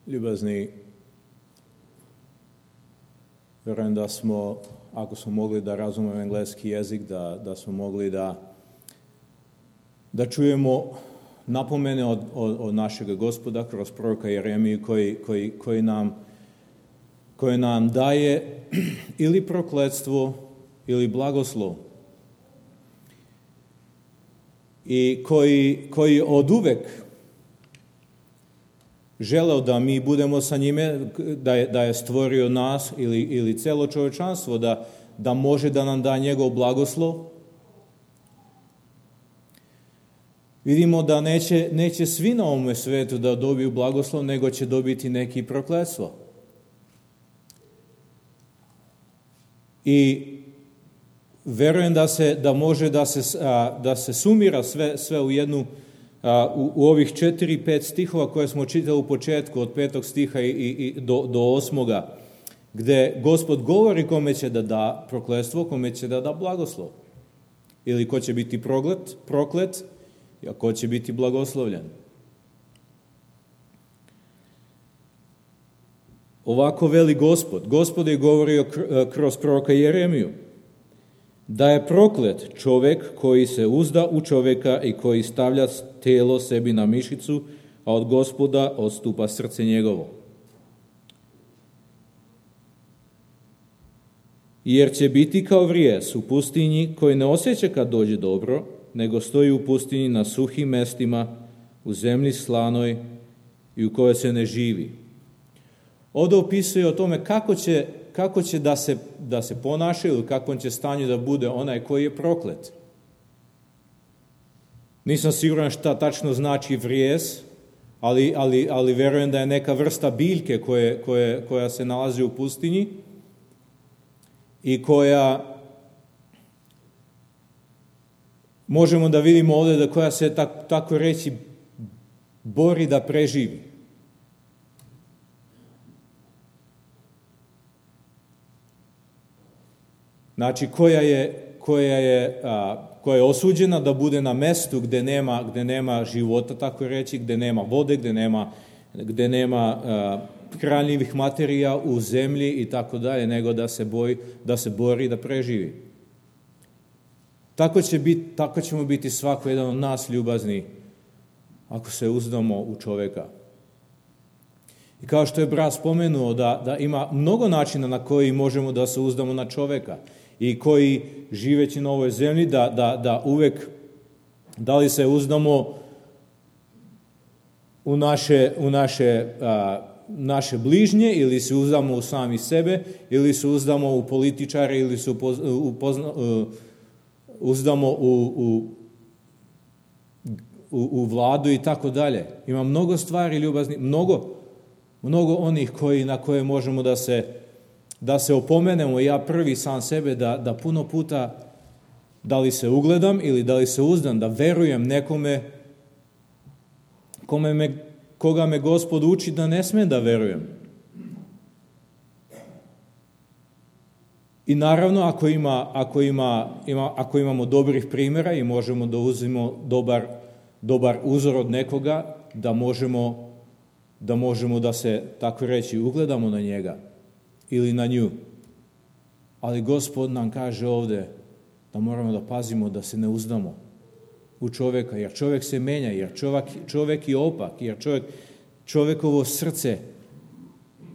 Ljubazni, vjerujem da smo, ako smo mogli da razumemo engleski jezik, da smo mogli da čujemo napomene od našeg Gospoda kroz proroka Jeremiju koji nam daje ili prokletstvo ili blagoslov. I koji oduvek želeo da mi budemo sa njime, da je stvorio nas ili celo čovječanstvo, da može da nam da njegov blagoslov. Vidimo da neće svi na ovome svetu da dobiju blagoslov, nego će dobiti neki prokletstvo. I verujem da može da se sumira sve u jednu, u ovih 4-5 stihova koje smo čitali u početku, od 5. stiha i do 8. gde Gospod govori kome će da da prokletstvo, kome će da da blagoslov. Ili ko će biti proklet, a ko će biti blagoslovljen. Ovako veli Gospod. Gospod je govorio kroz proroka Jeremiju da je proklet čovjek koji se uzda u čovjeka i koji stavlja telo sebi na mišicu, a od Gospoda odstupa srce njegovo. Jer će biti kao vrijez u pustinji koji ne osjeća kad dođe dobro, nego stoji u pustinji na suhim mestima, u zemlji slanoj i u kojoj se ne živi. Ovdje opisuje o tome kako će da se ponaša ili kakvom će stanju da bude onaj koji je proklet. Nisam siguran šta tačno znači vrijez, ali verujem da je neka vrsta biljke koja se nalazi u pustinji i koja možemo da vidimo ovdje da koja se tako reći bori da preživi. Znači koja je osuđena da bude na mestu gde nema života, tako reći, gde nema vode, gde nema hranljivih materija u zemlji i tako dalje, nego da se bori da preživi. Tako ćemo biti svako jedan od nas ljubazni ako se uzdamo u čovjeka. I kao što je brat spomenuo da ima mnogo načina na koji možemo da se uzdamo na čovjeka i koji živeći na ovoj zemlji da uvek, da li se uzdamo u naše bližnje ili se uzdamo u sami sebe ili se uzdamo u političare ili se uzdamo u vladu i tako dalje. Ima mnogo stvari ljubazni, mnogo onih na koje možemo da se opomenemo, ja prvi sam sebe, da puno puta da li se ugledam ili da li se uzdam, da verujem nekome koga me Gospod uči da ne smem da verujem. I naravno, ako imamo dobrih primjera i možemo da uzmemo dobar uzor od nekoga, da možemo da se, tako reći, ugledamo na njega ili na nju. Ali Gospod nam kaže ovdje da moramo da pazimo da se ne uzdamo u čovjeka, jer čovjek se menja, jer čovjek je opak, jer čovjekovo srce,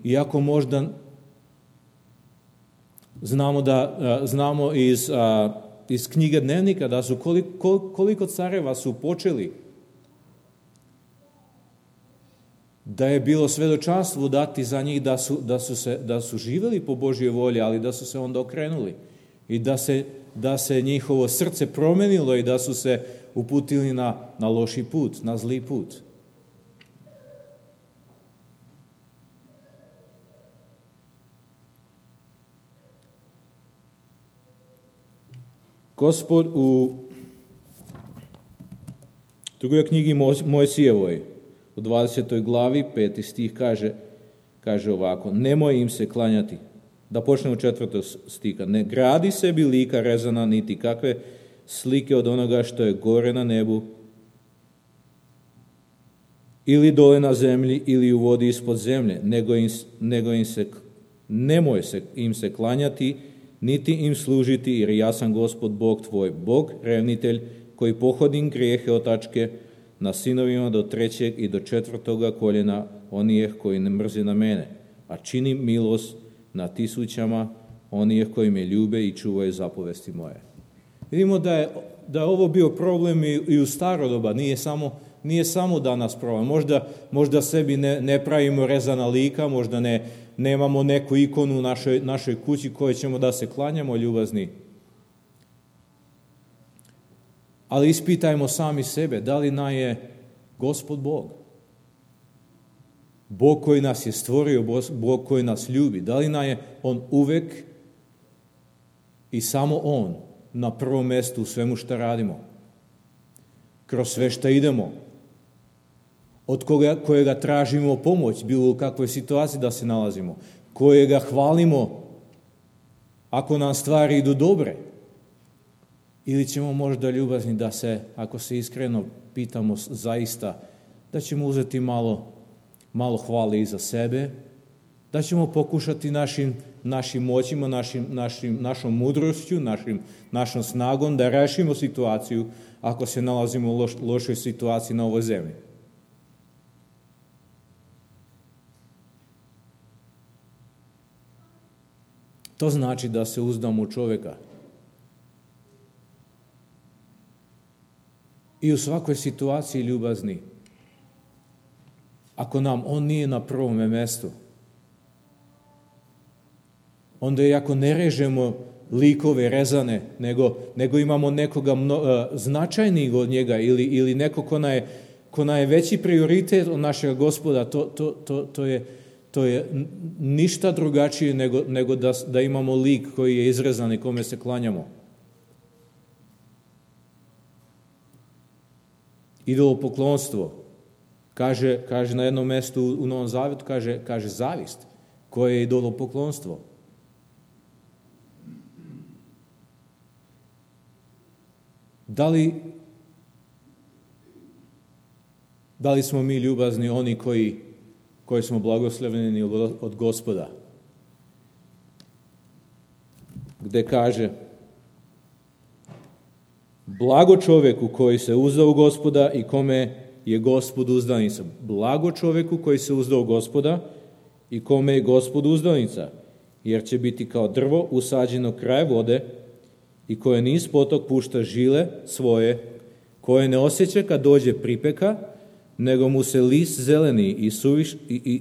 iako možda znamo iz knjige Dnevnika da su koliko careva su počeli, da je bilo svedočanstvo dati za njih da su živjeli po Božjoj volji, ali da su se onda okrenuli i da se njihovo srce promenilo i da su se uputili na loši put, na zli put. Gospod u drugoj knjigi Mojsijevoj, u 20. glavi, 5. stih kaže ovako: nemoj im se klanjati. Da počnemo 4. stiha. Ne gradi sebi lika rezana, niti kakve slike od onoga što je gore na nebu, ili dole na zemlji, ili u vodi ispod zemlje, nemoj im se klanjati, niti im služiti, jer ja sam Gospod Bog tvoj, Bog revnitelj, koji pohodim grijehe otačke na sinovima do 3. i do 4. koljena onih koji ne mrze na mene, a činim milost na tisućama onih koji me ljube i čuvaju zapovesti moje. Vidimo da je ovo bio problem i u staro doba, nije samo danas problem. Možda sebi ne pravimo rezana lika, možda nemamo neku ikonu u našoj kući koje ćemo da se klanjamo, ljubazni. Ali ispitajmo sami sebe, da li nam je Gospod Bog? Bog koji nas je stvorio, Bog koji nas ljubi, da li nam je On uvek i samo On na prvom mjestu u svemu što radimo? Kroz sve što idemo, od kojega tražimo pomoć, bilo u kakvoj situaciji da se nalazimo, kojega hvalimo ako nam stvari idu dobre, ili ćemo možda ljubazni da se, ako se iskreno pitamo zaista, da ćemo uzeti malo hvale i za sebe, da ćemo pokušati našim moćima, našom mudrošću, našom snagom da rešimo situaciju ako se nalazimo u lošoj situaciji na ovoj zemlji. To znači da se uzdamo u čovjeka. I u svakoj situaciji ljubazni. Ako nam on nije na prvom mjestu, onda i ako ne režemo likove rezane, nego imamo nekoga značajnijeg od njega ili neko ko nam je veći prioritet od našeg Gospoda, to je ništa drugačije nego da imamo lik koji je izrezan i kome se klanjamo. Idolopoklonstvo, kaže na jednom mjestu u Novom Zavjetu, kaže zavist, koje je idolopoklonstvo. Da li smo mi ljubazni oni koji smo blagoslovljeni od Gospoda? Gde kaže: blago čovjeku koji se uzdao u Gospoda i kome je Gospod uzdanica. Blago čovjeku koji se uzdao u Gospoda i kome je Gospod uzdanica, jer će biti kao drvo usađeno kraj vode i koje niz potok pušta žile svoje, koje ne osjeća kad dođe pripeka, nego mu se list zeleni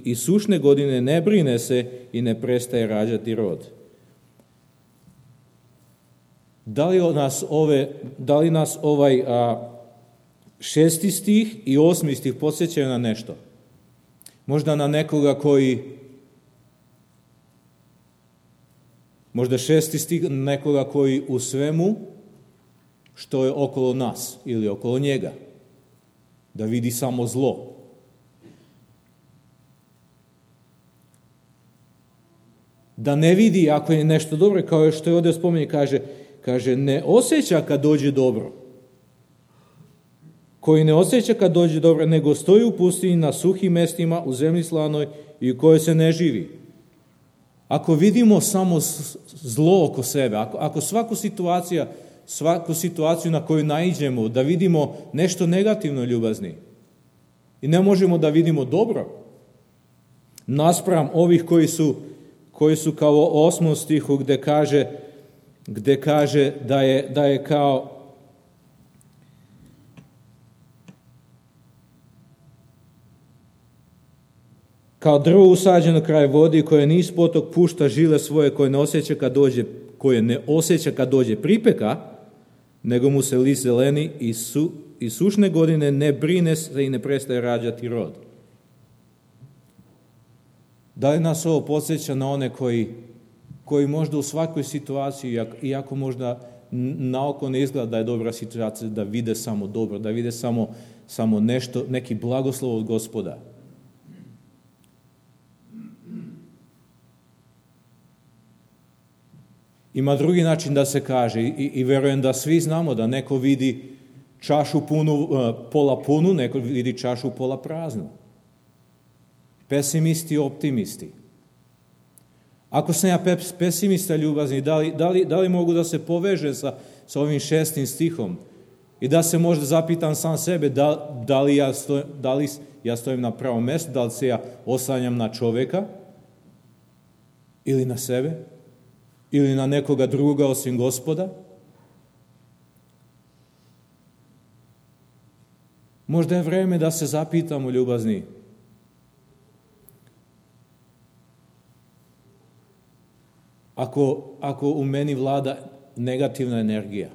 i sušne godine ne brine se i ne prestaje rađati rod. Da li nas ovaj 6. stih i 8. stih podsjećaju na nešto? Možda na nekoga možda 6. stih nekoga koji u svemu što je okolo nas ili okolo njega, da vidi samo zlo. Da ne vidi ako je nešto dobro, kao što je ovdje spominje, kaže ne osjeća kad dođe dobro. Koji ne osjeća kad dođe dobro, nego stoji u pustinji na suhim mestima, u zemlji slanoj i u kojoj se ne živi. Ako vidimo samo zlo oko sebe, ako svaku situaciju na koju naiđemo, da vidimo nešto negativno, ljubazni, i ne možemo da vidimo dobro, naspram ovih koji su kao u 8. stihu gde kaže da je kao drvo usađeno kraj vodi, koje niz potok pušta žile svoje, koje ne osjeća kad dođe pripeka, nego mu se list zeleni i sušne godine ne brine se i ne prestaje rađati rod. Da li nas ovo podsjeća na one koji možda u svakoj situaciji, iako možda naoko ne izgleda da je dobra situacija, da vide samo dobro, da vide samo nešto, neki blagoslov od Gospoda. Ima drugi način da se kaže i verujem da svi znamo da neko vidi čašu punu, pola punu, neko vidi čašu pola praznu. Pesimisti, optimisti. Ako sam ja pesimista ljubazni, da li mogu da se poveže sa ovim 6. stihom i da se možda zapitam sam sebe da li ja stojim na pravom mjestu, da li se ja oslanjam na čovjeka ili na sebe ili na nekoga druga osim Gospoda? Možda je vreme da se zapitamo, ljubazni. Ako u meni vlada negativna energija,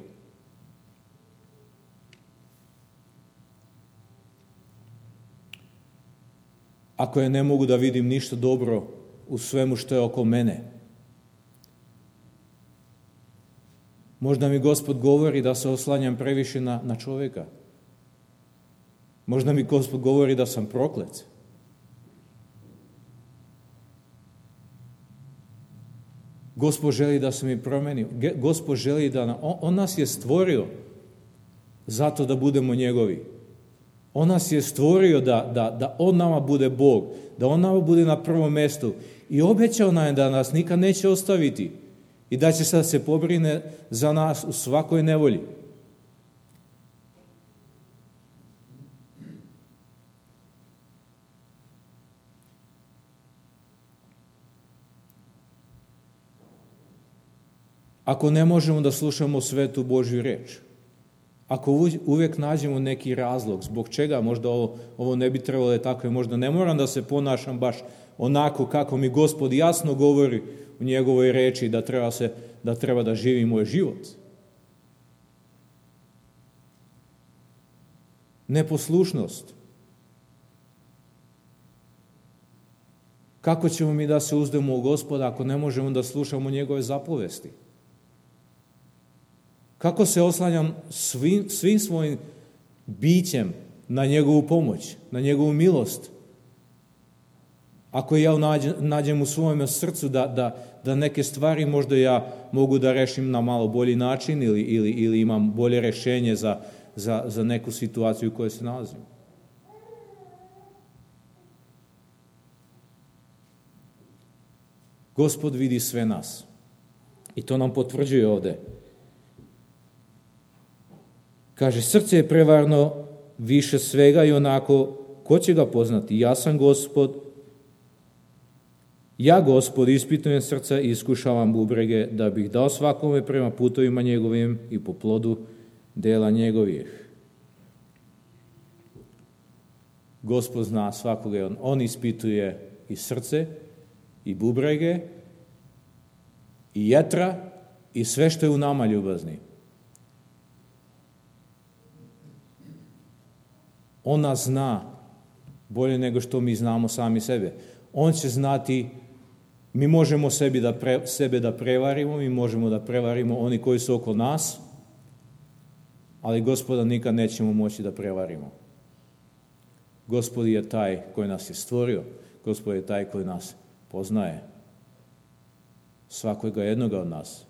ako je ne mogu da vidim ništa dobro u svemu što je oko mene, možda mi Gospod govori da se oslanjam previše na čovjeka. Možda mi Gospod govori da sam proklet. Gospod želi da se mi promeni. Gospod želi da... On nas je stvorio zato da budemo njegovi. On nas je stvorio da on nama bude Bog, da on nama bude na prvom mjestu. I obećao nam je da nas nikad neće ostaviti i da će sad se pobrine za nas u svakoj nevolji. Ako ne možemo da slušamo svetu Božju reč, ako uvijek nađemo neki razlog zbog čega možda ovo ne bi trebalo je tako, možda ne moram da se ponašam baš onako kako mi Gospod jasno govori u njegovoj reči da treba da živim moj život. Neposlušnost. Kako ćemo mi da se uzdemo u Gospoda ako ne možemo da slušamo njegove zapovesti? Kako se oslanjam svim svojim bićem na njegovu pomoć, na njegovu milost? Ako ja nađem u svojem srcu da neke stvari možda ja mogu da rešim na malo bolji način ili imam bolje rešenje za neku situaciju u kojoj se nalazim. Gospod vidi sve nas. I to nam potvrđuje ovdje. Kaže, srce je prevarno više svega i onako, ko će ga poznati? Ja sam Gospod. Ja, Gospod, ispitujem srca i iskušavam bubrege, da bih dao svakome prema putovima njegovim i po plodu dela njegovih. Gospod zna svakoga, on ispituje i srce, i bubrege, i jetra, i sve što je u nama, ljubazni. On nas zna bolje nego što mi znamo sami sebe. On će znati, mi možemo sebe da prevarimo, mi možemo da prevarimo oni koji su oko nas, ali Gospoda nikad nećemo moći da prevarimo. Gospod je taj koji nas je stvorio, Gospod je taj koji nas poznaje. Svakoga jednoga od nas.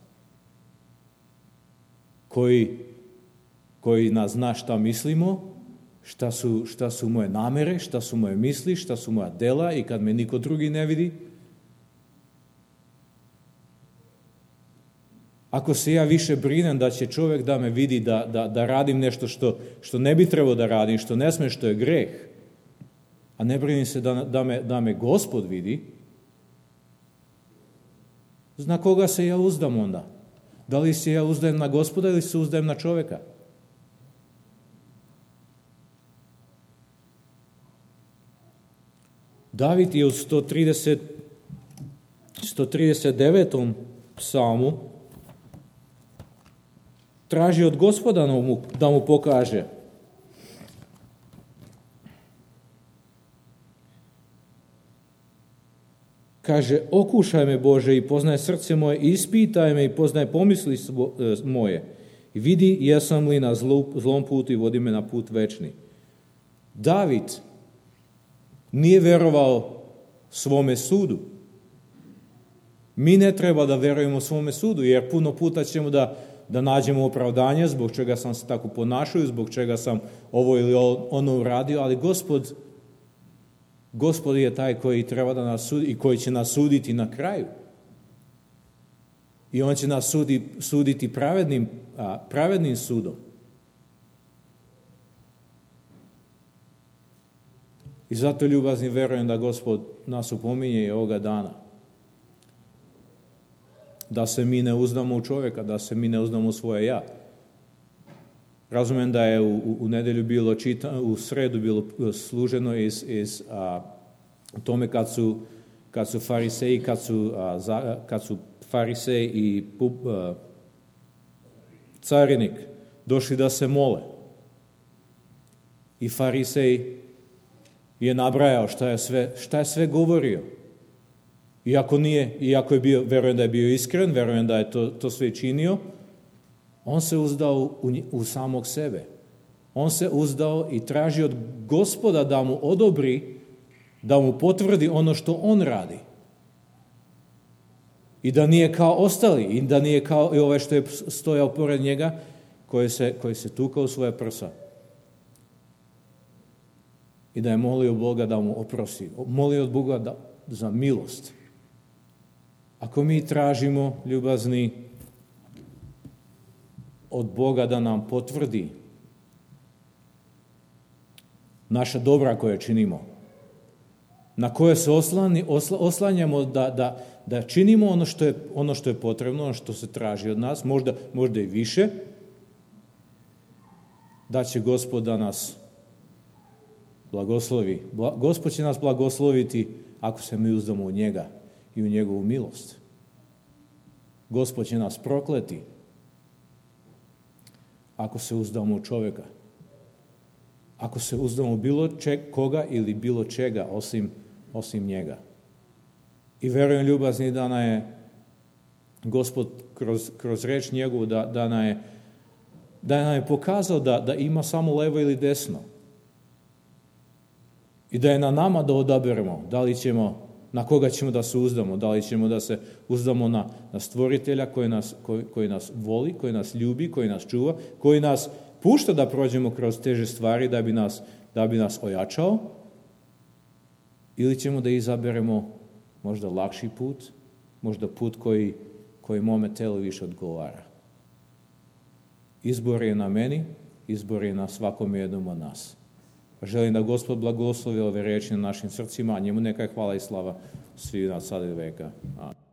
Koji nas zna šta mislimo, šta su moje namere, šta su moje misli, šta su moja dela i kad me niko drugi ne vidi. Ako se ja više brinem da će čovjek da me vidi da radim nešto što ne bi trebao da radim, što ne sme, što je greh, a ne brinim se da me Gospod vidi, na koga se ja uzdam onda? Da li se ja uzdajem na Gospoda ili se uzdajem na čovjeka? David je u 139. psalmu traži od Gospoda da mu pokaže. Kaže, okušaj me Bože i poznaj srce moje, ispitaj me i poznaj pomisli moje. I vidi jesam li na zlom putu i vodi me na put večni. David nije verovao svome sudu. Mi ne treba da verujemo svome sudu, jer puno puta ćemo da nađemo opravdanje zbog čega sam se tako ponašao, zbog čega sam ovo ili ono uradio, ali Gospod je taj koji treba da nas sudi i koji će nas suditi na kraju. I on će nas suditi pravednim sudom. I zato, ljubazni, verujem da Gospod nas upominje i ovoga dana. Da se mi ne uzdamo u čovjeka, da se mi ne uzdamo u svoje ja. Razumijem da je u nedelju bilo u sredu bilo služeno iz tome kad su fariseji, kad su farisej i carinik došli da se mole. I farisej je nabrajao šta je sve govorio. Iako je bio, verujem da je bio iskren, verujem da je to sve činio, on se uzdao u samog sebe. On se uzdao i traži od Gospoda da mu odobri, da mu potvrdi ono što on radi. I da nije kao ostali, i da nije kao i ovaj što je stojao pored njega, koji se tukao u svoje prsa. I da je molio Boga da mu oprosti. Molio od Boga za milost. Ako mi tražimo, ljubazni, od Boga da nam potvrdi naša dobra koje činimo, na koje se oslanjamo da činimo ono što je potrebno, ono što se traži od nas, možda i više, da će Gospod da nas blagoslovi. Gospod će nas blagosloviti ako se mi uzdamo u njega i u njegovu milost. Gospod će nas prokleti ako se uzdamo u čovjeka. Ako se uzdamo u bilo koga ili bilo čega osim njega. I verujem, ljubazni, da nam je Gospod kroz reč njegovu da nam je pokazao da ima samo levo ili desno. I da je na nama da odaberemo na koga ćemo da se uzdamo, da li ćemo da se uzdamo na stvoritelja koji nas voli, koji nas ljubi, koji nas čuva, koji nas pušta da prođemo kroz teže stvari da bi nas ojačao, ili ćemo da izaberemo možda lakši put, možda put koji mome telu više odgovara. Izbor je na meni, izbor je na svakom jednom od nas. Želim da Gospod blagoslovi ove reči na našim srcima, a njemu neka je hvala i slava svi nas sada i veka. Amen.